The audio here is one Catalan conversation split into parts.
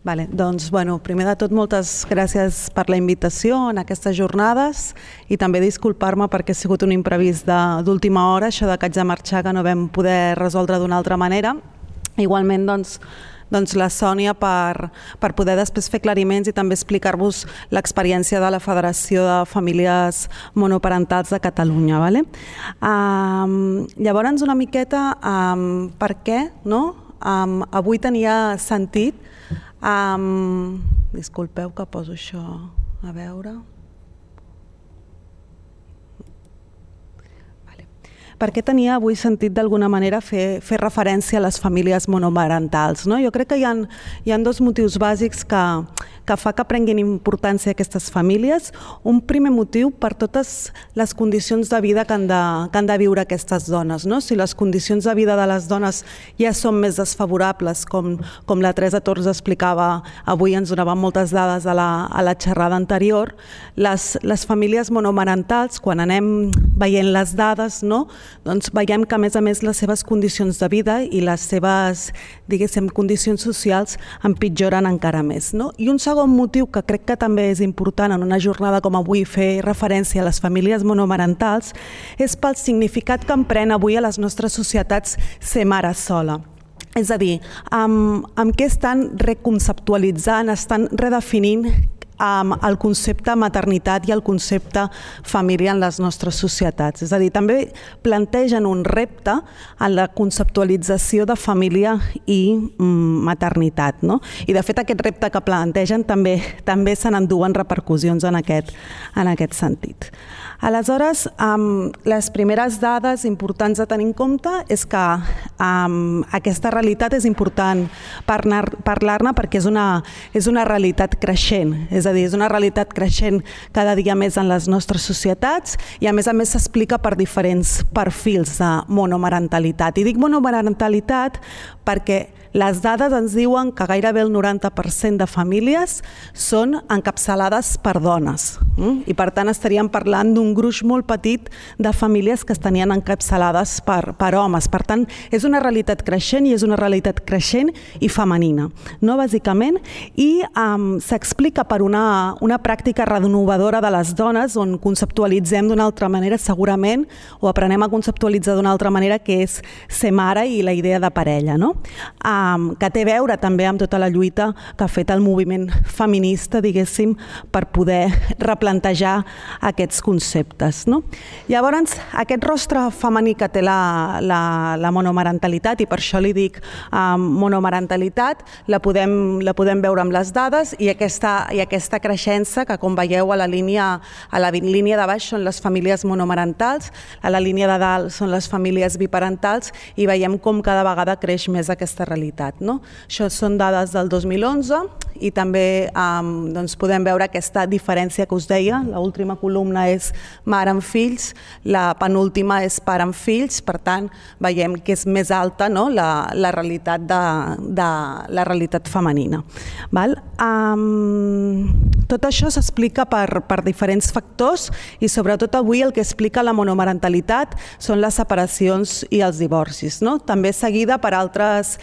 Doncs, primer de tot, moltes gràcies per la invitació en aquestes jornades i també disculpar-me perquè ha sigut un imprevist d'última hora, això de que haig de marxar, que no vam poder resoldre d'una altra manera. Igualment, doncs la Sònia per poder després fer aclariments i també explicar-vos l'experiència de la Federació de Famílies Monoparentals de Catalunya. Llavors, una miqueta, per què avui tenia sentit. Disculpeu que poso això a veure. Per què tenia avui sentit d'alguna manera fer referència a les famílies monomarentals? Jo crec que hi ha dos motius bàsics que fa que prenguin importància aquestes famílies. Un primer motiu per totes les condicions de vida que han de viure aquestes dones. Si les condicions de vida de les dones ja són més desfavorables, com la Teresa Torres explicava avui, ens donava moltes dades a la xerrada anterior, les famílies monomarentals, quan anem veient les dades, doncs veiem que a més les seves condicions de vida i les seves, diguéssim, condicions socials empitjoren encara més. I un segon motiu que crec que també és important en una jornada com avui fer referència a les famílies monomarentals és pel significat que empren avui a les nostres societats ser mare sola. És a dir, amb què estan reconceptualitzant, estan redefinint el concepte maternitat i el concepte família en les nostres societats. És a dir, també plantegen un repte en la conceptualització de família i maternitat. I de fet aquest repte que plantegen també se n'enduen repercussions en aquest sentit. Aleshores, les primeres dades importants a tenir en compte és que aquesta realitat és important parlar-ne perquè és una realitat creixent, és a dir, és una realitat creixent cada dia més en les nostres societats i a més s'explica per diferents perfils de monomarentalitat. I dic monomarentalitat perquè les dades ens diuen que gairebé el 90% de famílies són encapçalades per dones i per tant estaríem parlant d'un gruix molt petit de famílies que estarien encapçalades per homes. Per tant, és una realitat creixent i és una realitat creixent i femenina, bàsicament, i s'explica per una pràctica renovadora de les dones on conceptualitzem d'una altra manera segurament o aprenem a conceptualitzar d'una altra manera que és ser mare i la idea de parella, que té a veure també amb tota la lluita que ha fet el moviment feminista, diguéssim, per poder replantejar aquests conceptes. Llavors, aquest rostre femení que té la monomarentalitat, i per això li dic monomarentalitat, la podem veure amb les dades i aquesta creixença que, com veieu, a la línia de baix són les famílies monomarentals, a la línia de dalt són les famílies biparentals i veiem com cada vegada creix més aquesta realitat. Això són dades del 2011 i també podem veure aquesta diferència que us deia. L'última columna és mare amb fills, la penúltima és pare amb fills, per tant veiem que és més alta la realitat femenina. Tot això s'explica per diferents factors i sobretot avui el que explica la monomarentalitat són les separacions i els divorcis, també seguida per altres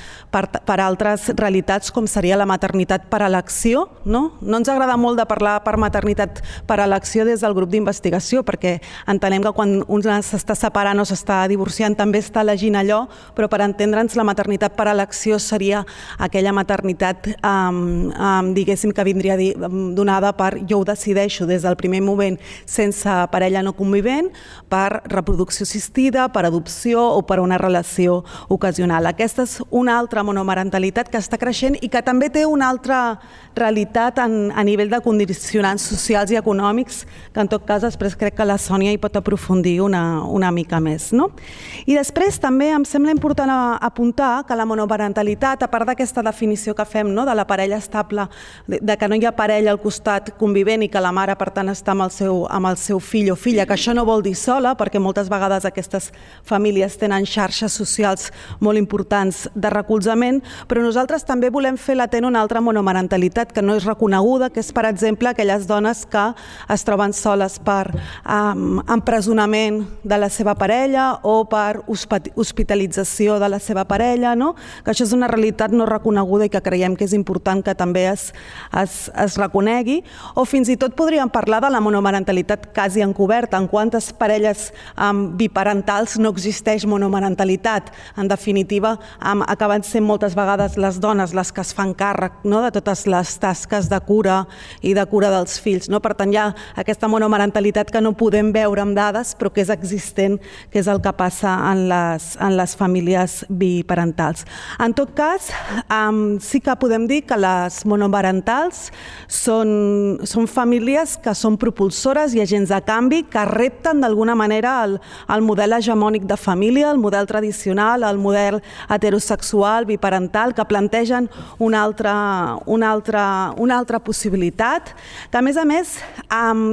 realitats com seria la maternitat per elecció. No ens agrada molt de parlar per maternitat per elecció des del grup d'investigació perquè entenem que quan un s'està separant o s'està divorciant també està elegint allò, però per entendre'ns la maternitat per elecció seria aquella maternitat diguéssim que vindria donada per jo ho decideixo des del primer moment sense parella no convivent, per reproducció assistida, per adopció o per una relació ocasional. Aquesta és una altra monomarentalitat que està creixent i que també té una altra realitat a nivell de condicionants socials i econòmics que en tot cas després crec que la Sònia hi pot aprofundir una mica més. I després també em sembla important apuntar que la monomarentalitat, a part d'aquesta definició que fem de la parella estable, de que no hi ha parella al costat convivent i que la mare per tant està amb el seu fill o filla, que això no vol dir sola perquè moltes vegades aquestes famílies tenen xarxes socials molt importants de recolzament, però nosaltres també volem fer latent una altra monomarentalitat monomarentalitat que no és reconeguda, que és, per exemple, aquelles dones que es troben soles per empresonament de la seva parella o per hospitalització de la seva parella, no? Que això és una realitat no reconeguda i que creiem que és important que també es reconegui. O fins i tot podríem parlar de la monomarentalitat quasi encoberta, en quantes parelles biparentals no existeix monomarentalitat. En definitiva, acaben sent moltes vegades les dones les que es fan càrrec, no?, de totes les tasques de cura i de cura dels fills, no? Per tant, hi ha aquesta monomarentalitat que no podem veure amb dades, però que és existent, que és el que passa en les famílies biparentals. En tot cas, sí que podem dir que les monomarentals són famílies que són propulsores i agents de canvi, que repten d'alguna manera el model hegemònic de família, el model tradicional, el model heterosexual, biparental, que plantegen una altra possibilitat, que a més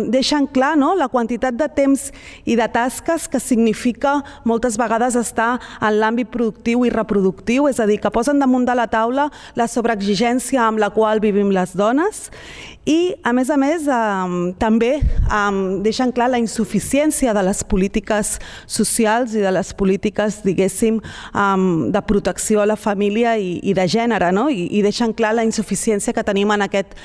deixen clar, no?, la quantitat de temps i de tasques que significa moltes vegades estar en l'àmbit productiu i reproductiu, és a dir, que posen damunt de la taula la sobreexigència amb la qual vivim les dones i, a més, també deixen clar la insuficiència de les polítiques socials i de les polítiques, diguéssim, de protecció a la família i de gènere, no? I deixen clar la insuficiència que tenim en aquest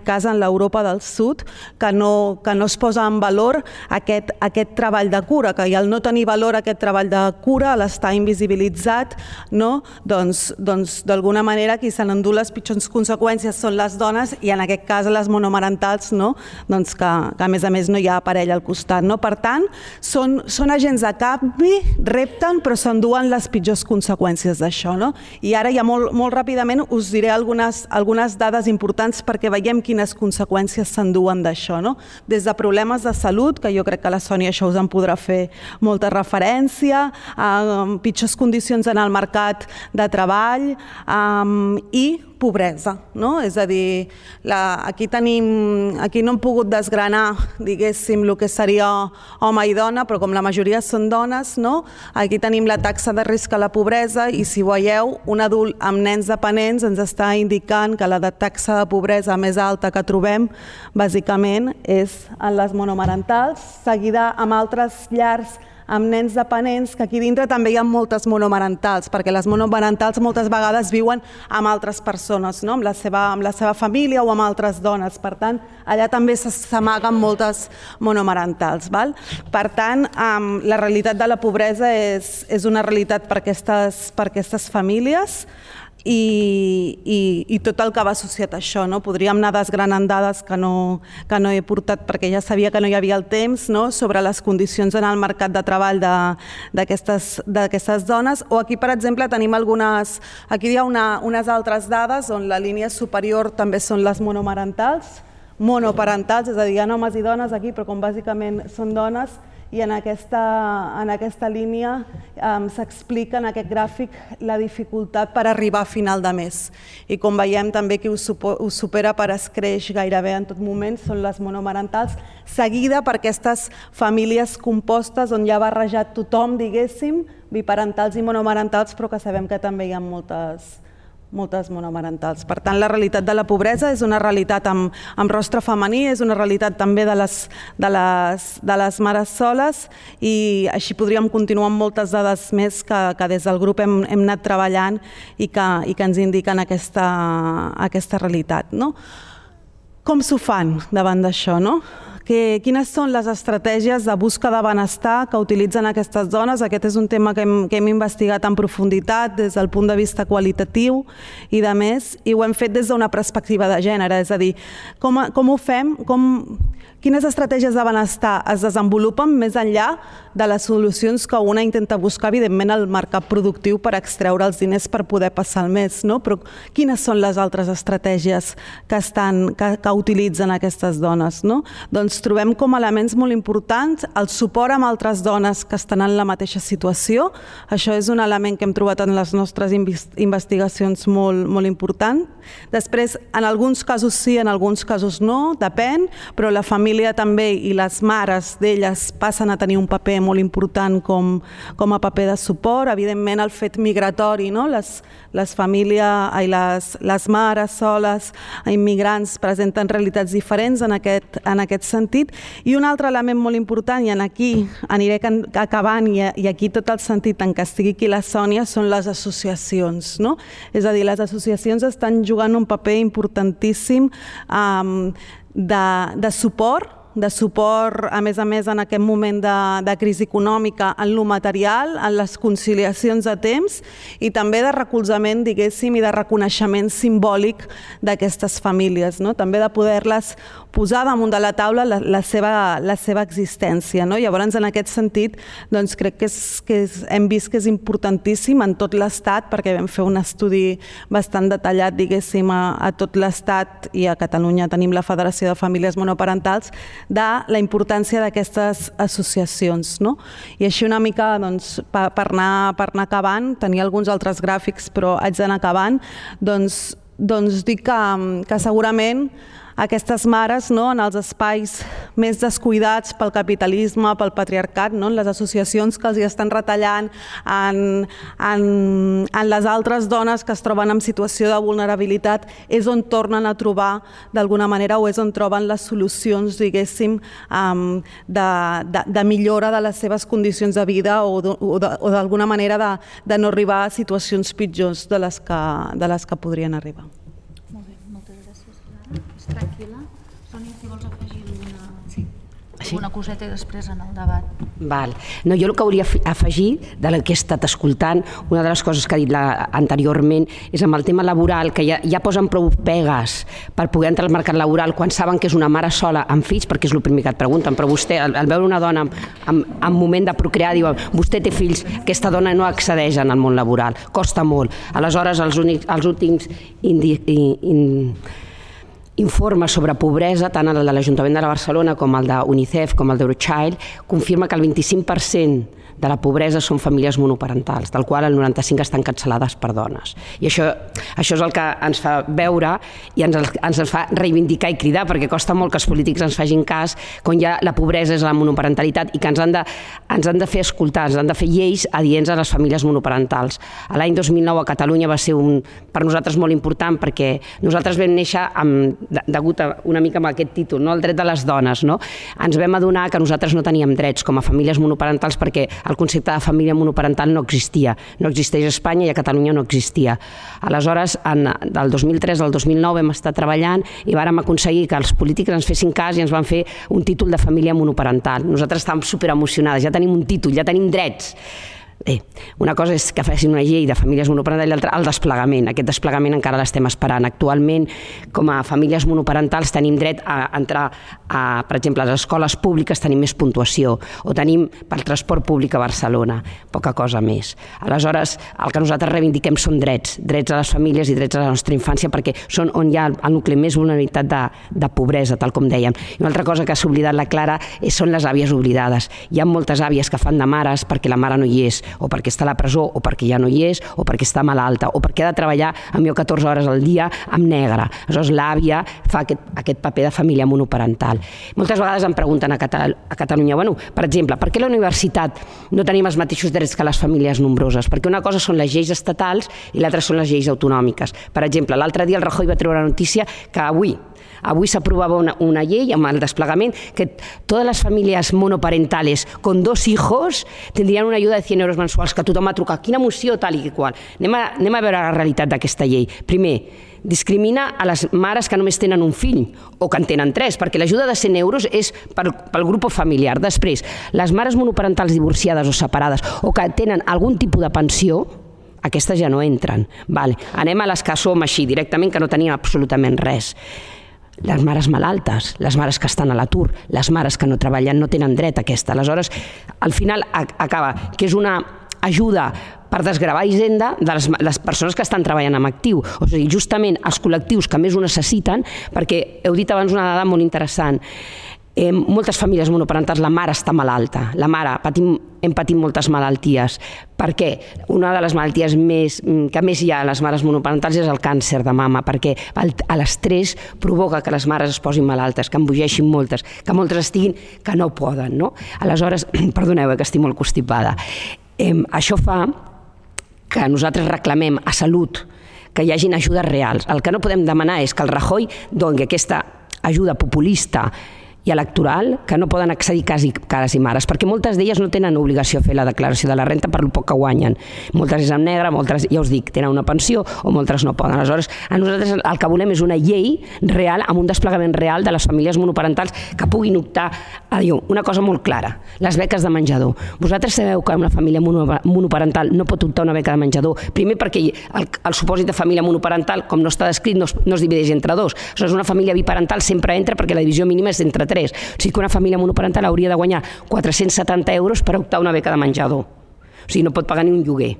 cas en l'Europa del Sud, que no es posa en valor aquest treball de cura, que al no tenir valor aquest treball de cura, a l'estar invisibilitzat, no? Doncs d'alguna manera qui se n'endú les pitjors conseqüències són les dones i en aquest cas les monomarentals, no? Doncs que a més no hi ha parella al costat, no? Per tant, són agents de canvi, repten, però s'enduen les pitjors conseqüències d'això, no? I ara ja molt ràpidament us diré algunes dades importants perquè veiem quines conseqüències s'enduen d'això, no? Des de problemes de salut, que jo crec que la Sònia això us en podrà fer molta referència, pitjors condicions en el mercat de treball i pobresa, no? És a dir, aquí no hem pogut desgranar, diguéssim, el que seria home i dona, però com la majoria són dones, no? Aquí tenim la taxa de risc a la pobresa i, si veieu, un adult amb nens dependents ens està indicant que la taxa de pobresa més alta que trobem, bàsicament, és en les monomarentals, seguida amb altres llars amb nens dependents, que aquí dintre també hi ha moltes monomarentals, perquè les monomarentals moltes vegades viuen amb altres persones, no? Amb la seva família o amb altres dones. Per tant, allà també s'amaguen moltes monomarentals. Per tant, la realitat de la pobresa és una realitat per aquestes famílies i tot el que va associat a això, no? Podríem anar desgranant dades que no he portat perquè ja sabia que no hi havia el temps, no? Sobre les condicions en el mercat de treball d'aquestes dones, o aquí, per exemple, tenim aquí hi ha unes altres dades on la línia superior també són les monomarentals, monoparentals, és a dir, hi ha homes i dones aquí, però com bàsicament són dones, i en aquesta línia s'explica en aquest gràfic la dificultat per arribar a final de mes. I com veiem també qui ho supera per escreix gairebé en tot moment són les monomarentals, seguida per aquestes famílies compostes on ja ha barrejat tothom, diguéssim, biparentals i monomarentals, però que sabem que també hi ha moltes monomarentals. Per tant, la realitat de la pobresa és una realitat amb rostre femení, és una realitat també de les mares soles i així podríem continuar amb moltes dades més que des del grup hem anat treballant i que ens indiquen aquesta realitat. Com s'ho fan davant d'això, no? Quines són les estratègies de busca de benestar que utilitzen aquestes dones? Aquest és un tema que hem investigat en profunditat des del punt de vista qualitatiu i de més, i ho hem fet des d'una perspectiva de gènere, és a dir, com ho fem, quines estratègies de benestar es desenvolupen més enllà de les solucions que una intenta buscar, evidentment, al mercat productiu per extreure els diners per poder passar el mes, no? Però quines són les altres estratègies que utilitzen aquestes dones, no? Doncs doncs trobem com a elements molt importants el suport amb altres dones que estan en la mateixa situació. Això és un element que hem trobat en les nostres investigacions molt important. Després, en alguns casos sí, en alguns casos no, depèn, però la família també i les mares d'elles passen a tenir un paper molt important com a paper de suport. Evidentment, el fet migratori, no? Les famílies i les mares soles, immigrants, presenten realitats diferents en aquest sentit. I un altre element molt important, i aquí aniré acabant, i aquí tot el sentit en què estigui aquí la Sònia, són les associacions, no? És a dir, les associacions estan jugant un paper importantíssim de suport, a més, en aquest moment de crisi econòmica, en lo material, en les conciliacions a temps i també de recolzament, diguéssim, i de reconeixement simbòlic d'aquestes famílies, no? També de poder-les posar damunt de la taula la seva existència, no? Llavors, en aquest sentit, doncs, crec que hem vist que és importantíssim en tot l'Estat, perquè vam fer un estudi bastant detallat, diguéssim, a tot l'Estat, i a Catalunya tenim la Federació de Famílies Monoparentals, de la importància d'aquestes associacions, no? I així una mica, doncs, per anar acabant, tenia alguns altres gràfics, però haig d'anar acabant, doncs dic que segurament aquestes mares, no, en els espais més descuidats pel capitalisme, pel patriarcat, no, en les associacions que els hi estan retallant, en les altres dones que es troben en situació de vulnerabilitat, és on tornen a trobar d'alguna manera, o és on troben les solucions, diguéssim, de millora de les seves condicions de vida o d'alguna manera de no arribar a situacions pitjors de les que podrien arribar. Tranquil·la. Sònia, si vols afegir alguna coseta i després en el debat. Val. No, jo el que hauria afegir del que he estat escoltant, una de les coses que ha dit anteriorment, és amb el tema laboral, que ja posen prou pegues per poder entrar al mercat laboral quan saben que és una mare sola amb fills, perquè és el primer que et pregunten, però vostè, al veure una dona en moment de procrear, diuen, vostè té fills, aquesta dona no accedeix al món laboral, costa molt. Aleshores, els últims informes sobre pobresa, tant el de l'Ajuntament de Barcelona com el d'UNICEF com el d'Eurochild, confirma que el 25% de la pobresa són famílies monoparentals, del qual el 95% estan cancel·lades per dones. I això és el que ens fa veure i ens fa reivindicar i cridar, perquè costa molt que els polítics ens facin cas quan ja la pobresa és la monoparentalitat i que ens han de fer escoltar, ens han de fer lleis adients a les famílies monoparentals. L'any 2009 a Catalunya va ser per nosaltres molt important, perquè nosaltres vam néixer degut a una mica amb aquest títol, el dret de les dones. Ens vam adonar que nosaltres no teníem drets com a famílies monoparentals perquè el concepte de família monoparental no existia. No existeix a Espanya i a Catalunya no existia. Aleshores, del 2003 al 2009 vam estar treballant i vàrem aconseguir que els polítics ens fessin cas i ens van fer un títol de família monoparental. Nosaltres estàvem superemocionades, ja tenim un títol, ja tenim drets. Una cosa és que facin una llei de famílies monoparentals i l'altra el desplegament. Aquest desplegament encara l'estem esperant. Actualment, com a famílies monoparentals, tenim dret a entrar, per exemple, a les escoles públiques tenim més puntuació, o tenim pel transport públic a Barcelona, poca cosa més. Aleshores, el que nosaltres reivindiquem són drets a les famílies i drets a la nostra infància, perquè són on hi ha el nucli més vulnerabilitat de pobresa, tal com dèiem. I una altra cosa que ha oblidat la Clara són les àvies oblidades. Hi ha moltes àvies que fan de mares perquè la mare no hi és, o perquè està a la presó, o perquè ja no hi és, o perquè està malalta, o perquè ha de treballar millor 14 hores al dia amb negre. Aleshores, l'àvia fa aquest paper de família monoparental. Moltes vegades em pregunten a Catalunya, per exemple, per què a la universitat no tenim els mateixos drets que les famílies nombroses? Perquè una cosa són les lleis estatals i l'altra són les lleis autonòmiques. Per exemple, l'altre dia el Rajoy va treure la notícia que avui s'aprovava una llei amb el desplegament que totes les famílies monoparentales con 2 hijos tindrien una ajuda de 100 euros mensuals, que tothom va trucar, quina moció, tal i qual. Anem a veure la realitat d'aquesta llei. Primer, discrimina a les mares que només tenen un fill o que en tenen 3, perquè l'ajuda de 100 euros és pel grup familiar. Després, les mares monoparentals divorciades o separades o que tenen algun tipus de pensió, aquestes ja no entren. Anem a les que som així, directament, que no tenien absolutament res. Les mares malaltes, les mares que estan a l'atur, les mares que no treballen no tenen dret a aquesta. Aleshores, al final acaba que és una ajuda per desgravar hisenda de les persones que estan treballant en actiu. O sigui, justament els col·lectius que més ho necessiten, perquè heu dit abans una dada molt interessant, Moltes famílies monoparentals, la mare està malalta, la mare hem patit moltes malalties. Per què? Una de les malalties que més hi ha a les mares monoparentals és el càncer de mama, perquè l'estrès provoca que les mares es posin malaltes, que embogeixin moltes, que moltes estiguin que no poden, no? Aleshores, perdoneu, que estic molt constipada. Això fa que nosaltres reclamem a Salut que hi hagin ajudes reals. El que no podem demanar és que el Rajoy doni aquesta ajuda populista i electoral que no poden accedir quasi cares i mares, perquè moltes d'elles no tenen obligació a fer la declaració de la renta per el poc que guanyen. Moltes és en negre, moltes, ja us dic, tenen una pensió o moltes no poden. Aleshores, a nosaltres el que volem és una llei real, amb un desplegament real de les famílies monoparentals que puguin optar a dir una cosa molt clara, les beques de menjador. Vosaltres sabeu que una família monoparental no pot optar a una beca de menjador, primer perquè el supòsit de família monoparental, com no està descrit, no es divideix entre dos. Aleshores, una família biparental sempre entra perquè la divisió mínima és entre 3. O sigui que una família monoparental hauria de guanyar 470 euros per optar a una beca de menjador. O sigui, no pot pagar ni un lloguer.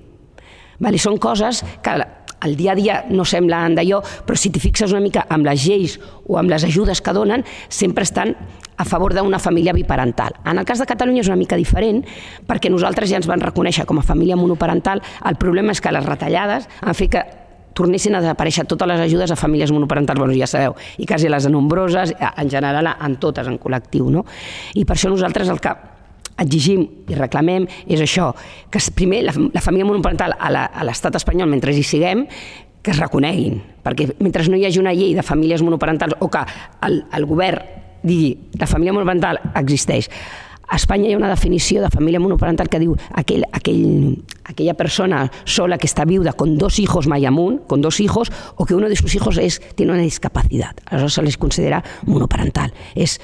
I són coses que al dia a dia no semblen d'allò, però si t'hi fixes una mica amb les lleis o amb les ajudes que donen, sempre estan a favor d'una família biparental. En el cas de Catalunya és una mica diferent, perquè nosaltres ja ens van reconèixer com a família monoparental. El problema és que les retallades han fet que tornessin a desaparèixer totes les ajudes a famílies monoparentals, bueno, ja sabeu, i quasi les nombroses, en general, en totes, en col·lectiu, no? I per això nosaltres el que exigim i reclamem és això, que primer la família monoparental a l'estat espanyol, mentre hi siguem, que es reconeguin, perquè mentre no hi hagi una llei de famílies monoparentals o que el govern digui la família monoparental existeix. A Espanya hi ha una definició de família monoparental que diu aquella persona sola que está viuda con 2 hijos mai amunt, con 2 hijos, o que uno de sus hijos tiene una discapacidad. Aleshores se les considera monoparental. És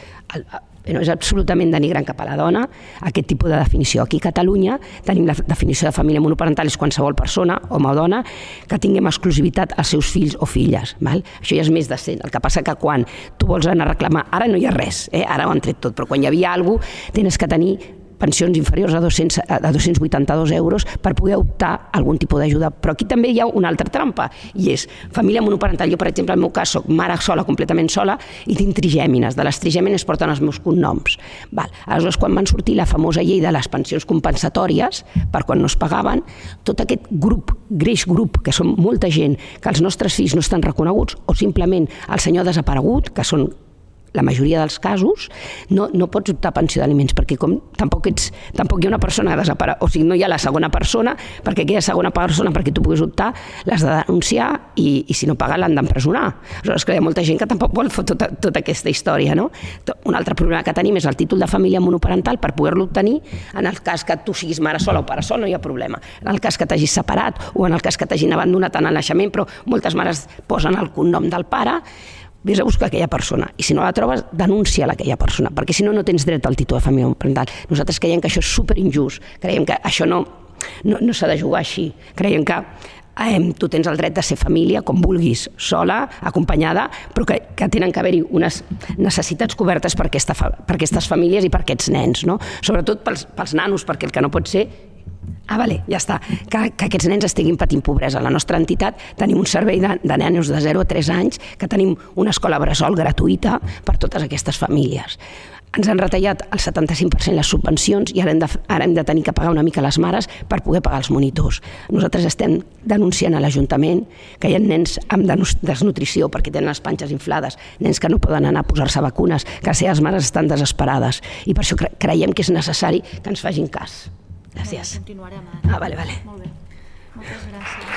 absolutament denigrant cap a la dona aquest tipus de definició. Aquí a Catalunya tenim la definició de família monoparental és qualsevol persona, home o dona, que tinguem exclusivitat als seus fills o filles. Això ja és més decent. El que passa que quan tu vols anar a reclamar, ara no hi ha res, ara ho han tret tot, però quan hi havia alguna cosa tens que tenir pensions inferiors a 282 euros per poder optar a algun tipus d'ajuda. Però aquí també hi ha una altra trampa, i és família monoparental. Jo, per exemple, en el meu cas, soc mare sola, completament sola, i tinc trigèmines. De les trigèmines porten els meus cognoms. Aleshores, quan van sortir la famosa llei de les pensions compensatòries, per quan no es pagaven, tot aquest grup, greix grup, que són molta gent, que els nostres fills no estan reconeguts, o simplement el senyor desaparegut, que són la majoria dels casos, no pots optar a pensió d'aliments, perquè tampoc hi ha una persona desapareguda, o sigui, no hi ha la segona persona, perquè aquella segona persona, perquè tu puguis optar, l'has de denunciar i si no paga l'han d'empresonar. Aleshores, hi ha molta gent que tampoc vol fer tota aquesta història, no? Un altre problema que tenim és el títol de família monoparental. Per poder-lo obtenir, en el cas que tu siguis mare sola o pare sol, no hi ha problema. En el cas que t'hagis separat o en el cas que t'hagin abandonat en el naixement, però moltes mares posen el cognom del pare, vés a buscar aquella persona, i si no la trobes, denuncia aquella persona, perquè si no, no tens dret al títol de família monoparental. Nosaltres creiem que això és superinjust, creiem que això no s'ha de jugar així, creiem que tu tens el dret de ser família com vulguis, sola, acompanyada, però que tenen que haver-hi unes necessitats cobertes per aquestes famílies i per aquests nens, no? Sobretot pels nanos, perquè el que no pot ser ja està, que aquests nens estiguin patint pobresa. A la nostra entitat tenim un servei de nanos de 0 a 3 anys, que tenim una escola bressol gratuïta per totes aquestes famílies. Ens han retallat el 75% les subvencions i ara hem de tenir que pagar una mica les mares per poder pagar els monitors. Nosaltres estem denunciant a l'Ajuntament que hi ha nens amb desnutrició perquè tenen les panxes inflades, nens que no poden anar a posar-se vacunes, que les seves mares estan desesperades, i per això creiem que és necessari que ens facin cas. Gràcies. Continuarem ara. Vale. Molt bé. Moltes gràcies.